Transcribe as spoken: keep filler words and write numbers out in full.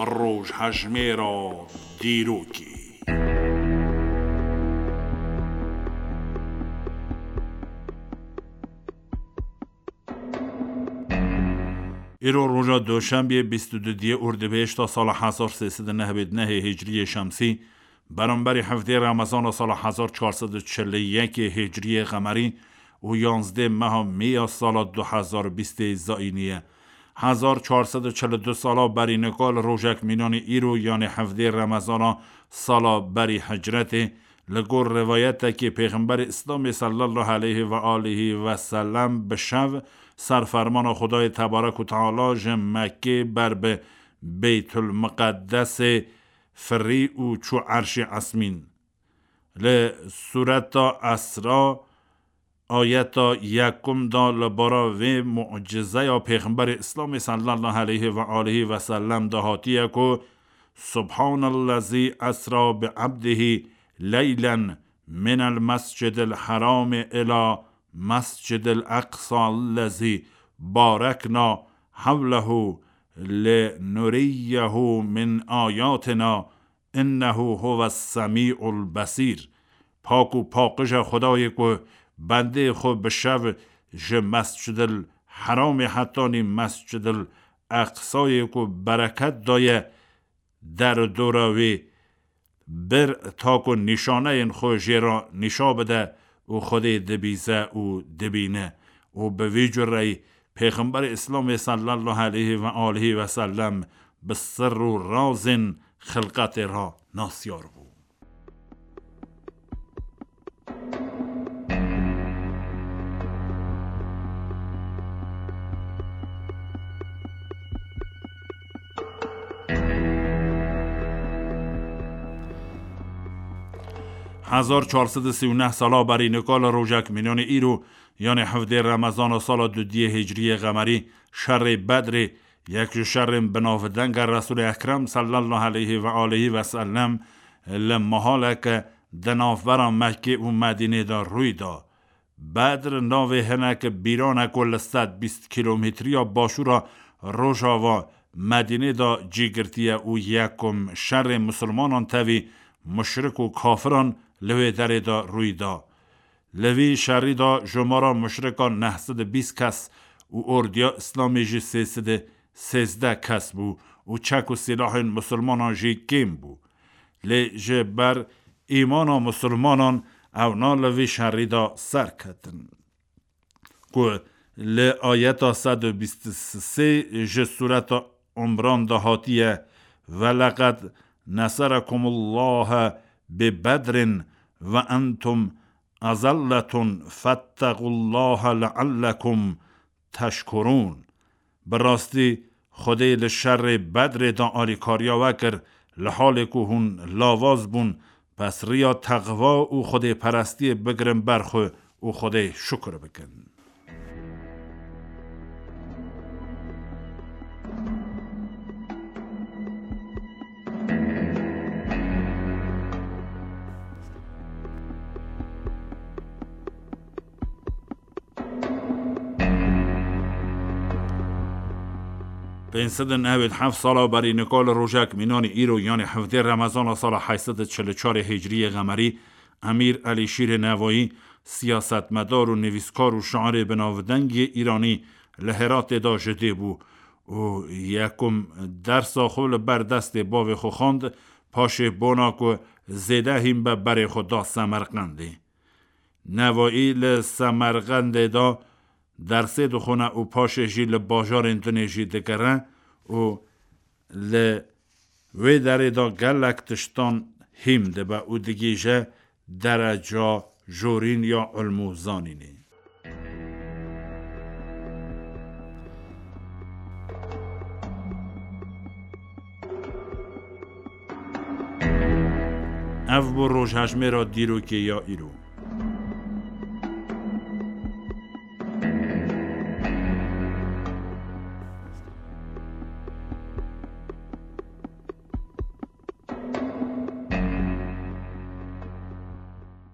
Rojhejmêra dîrokê. Îro roja Doşembiyê bîst û duyê Ordibêşta sala hezar sê sed û nehwêd nehê Hicriyê Şemsî, beramberî hevdê Remezana sala hezar çar sed û çil û yekê Hicriyê Qemerî û yanzdê meha Mê ya sala du hezar bîstê Zayînî ye. Hezar çar sed û çil û du sala berî nika li rojek mînanî îro, yanê hevdê Remezana sala berî Hicretê, li gor rivayetekê Pêxemberê Îslamê sallallahu aleyhi ve aleyhi ve sellem bi şev ser fermana Xwedayê Tebarek û Teala ji Mekkê ber bi Beytul Miqeddesê firî û çû Erşê Esmîn. Li Sureta Esra, ayeta yekum da li bara vê mucizeya Pêxemberê Îslamê sallallahu aleyhi ve aleyhi ve sellem de hatiye ku: "Subhanellezî esra bi abdihi leylen minel mescidil herami ila mescidil eqsa lezî barekna hevlehu linuriyyehu min ayatina innehu huves semî'ul besîr." Pak û paqij e Xwedayê ku bendê xwe bi şev ji Mescidil Heramê hetanî Mescidil Eqsayê ku bereket daye der û dora wê bir, ta ku nîşaneyên xwe jê re nîşa bide û Xwedê dibîze û dibîne. Û bi vî cureyî Pêxemberê Îslamê sallallahu aleyhi ve aleyhi ve sellem bi sir û razên xilqetê re nasyar bû. Hezar çar sed û sî û neh sala berî nika li rojek mînanê îro, yanê hevdê Remezana sala dudiyê Hicriyê Qemerî, şerê Bedrê, yek ji şerên binavdenge Resûlê Ekrem sallallahu aleyhi ve aleyhi ve sellem, li mehaleke di navbera Mekkê û Medînê de rûy da. Bedr navê hinek bîran e ku li sed bîst kîlometriya başûra rojava Medînê de cî girtiye û yekum şerê misilmanan tevî muşrik û kafiran li wê derê de rûy da. Li vî şerî de jomara muşrikan neh sed û bîst kes û ordiya Îslamê jî sê sed û sêzdeh kes bû û çek û sîlahên misilmanan jî kêm bû. Lê ji ber îmana misilmanan ewna li vî şerî de serketin. Ku li ayeta sed û bîst û sê ji Sureta Umran de hatiye: "Ve leqed neserekumullahu bi Bedrin ve entum azelletun fettegullaha leallekum teşkurûn." Bi rastî Xwedê li şerê Bedrê de alîkariya we kir, li halê ku hûn lawaz bûn, pes riya texwa û xwedêperestiyê bigirin ber xwe û Xwedê şukir bikin. Pênc sed û newêd heft sala berî nika li rojek mînanî îro, yanî hevdê Remezana sala heyt sed û çil û çarê Hicriyê Qemerî, Emîr Elîşîrê Nevayî, siyasetmedar û nivîskar û şairê binavdengê Îranî li Heratê de ji dê bû û yekum dersa xwe li ber destê bavê xwe xwend, paşê bona ku zêde hîn be berê xwe da Semerqendê. Nevayî li Semerqendê de dersê dixwine û paşê jî li bajarên dinê jî digere û li wê derê de gelek tiştan hîm dibe û digihîje dereca jorîn ya ilm û zanînê. Ev bû rojhejmêra dîrokê ya îro.